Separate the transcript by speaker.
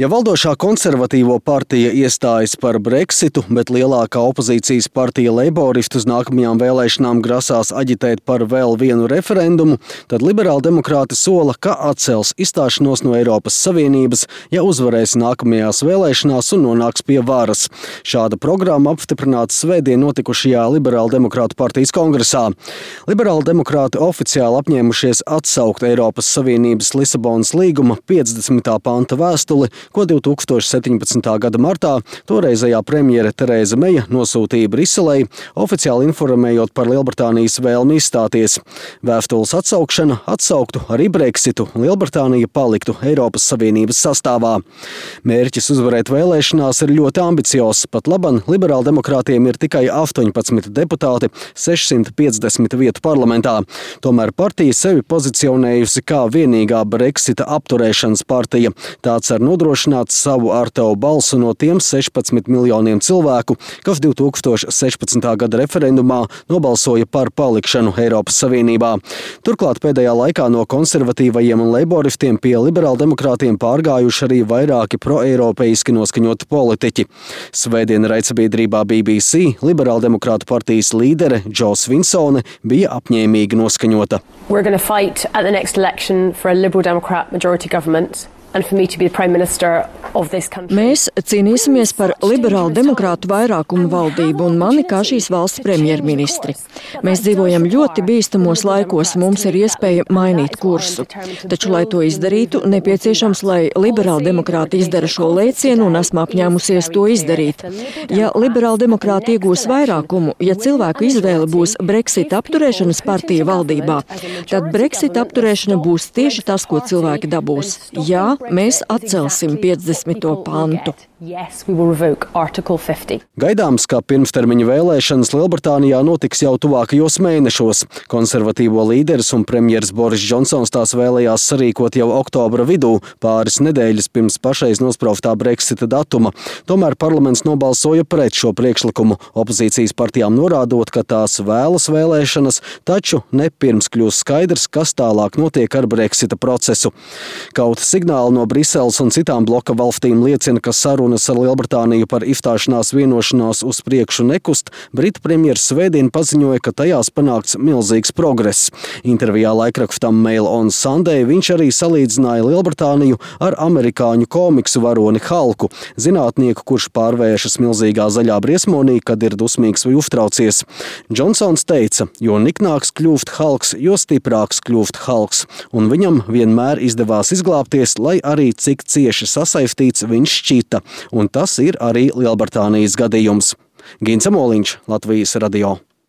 Speaker 1: Ja valdošā konservatīvo partija iestājas par Brexitu, bet lielākā opozīcijas partija Leiboristi uz nākamajām vēlēšanām grasās aģitēt par vēl vienu referendumu, tad liberāldemokrāti sola, ka atcels izstāšanos no Eiropas Savienības, ja uzvarēs nākamajās vēlēšanās un nonāks pie varas. Šāda programma apstiprināta svētdien notikušajā Liberāldemokrātu partijas kongresā. Liberāldemokrāti oficiāli apņēmušies atsaukt Eiropas Savienības Lisabonas līguma 50. panta vēstuli, ko 2017. gada martā toreizējā premjere Tereza Meja nosūtīja Briselei, oficiāli informējot par Lielbritānijas vēlmi izstāties. Vēstules atsaukšana atsauktu arī Brexitu, un Lielbritānija paliktu Eiropas Savienības sastāvā. Mērķis uzvarēt vēlēšanās ir ļoti ambiciozs, pat laban liberāldemokrātiem ir tikai 18 deputāti, 650 vietu parlamentā. Tomēr partija sevi pozicionējusi kā vienīgā Brexita apturēšanas partija. Tāds ar nodrošināt savu ārtavu balsu no tiem 16 miljoniem cilvēku, kas 2016. gada referendumā nobalsoja par palikšanu Eiropas Savienībā. Turklāt pēdējā laikā no konservatīvajiem un leiboristiem pie liberāldemokrātiem pārgājuši arī vairāki proeiropeiski noskaņoti politiķi. Svētdien raidsabiedrībā BBC liberāldemokrātu partijas līdere Jo Svinsone bija apņēmīgi noskaņota.
Speaker 2: We're going to fight at the next election for a Liberal Democrat majority government.
Speaker 3: Mēs cīnīsimies par liberālu demokrātu vairākumu valdību un mani kā šīs valsts premjerministri. Mēs dzīvojam ļoti bīstamos laikos, mums ir iespēja mainīt kursu. Taču, lai to izdarītu, nepieciešams, lai liberāli demokrāti izdara šo lēcienu un esmu apņēmusies to izdarīt. Ja liberāli demokrāti iegūs vairākumu, ja cilvēku izvēle būs Brexit apturēšanas partija valdībā, tad Brexit apturēšana būs tieši tas, ko cilvēki dabūs. Jā, mēs atcelsim 50. pantu.
Speaker 1: Gaidāms, ka pirmstermiņa vēlēšanas Lielbritānijā notiks jau tuvākajos mēnešos. Konservatīvo līderis un premjeras Boris Džonsons tās vēlējās sarīkot jau oktobra vidū, pāris nedēļas pirms pašreiz nosprauktā Brexita datuma. Tomēr parlaments nobalsoja pret šo priekšlikumu, opozīcijas partijām norādot, ka tās vēlas vēlēšanas, taču ne pirms kļūs skaidrs, kas tālāk notiek ar Brexita procesu. Kaut signāli no Briseles un citām bloka valstīm liecina, ka sarunas ar Lielbritāniju par izstāšanās vienošanos uz priekšu nekust, Britu premjers svētdien paziņoja, ka tajās panākts milzīgs progress. Intervijā laikrakstam Mail on Sunday viņš arī salīdzināja Lielbritāniju ar amerikāņu komiksu varoni Halku, zinātnieku, kurš pārvēršas milzīgā zaļā briesmonī, kad ir dusmīgs vai uztraucies. Džonsons teica, jo niknāks kļūst Halks, jo stiprāks kļūst Halks, un viņam vienmēr izdevās izglābties, lai arī cik cieši sasaistīts viņš šķita, un tas ir arī Lielbritānijas gadījums. Gins Amoliņš, Latvijas radio.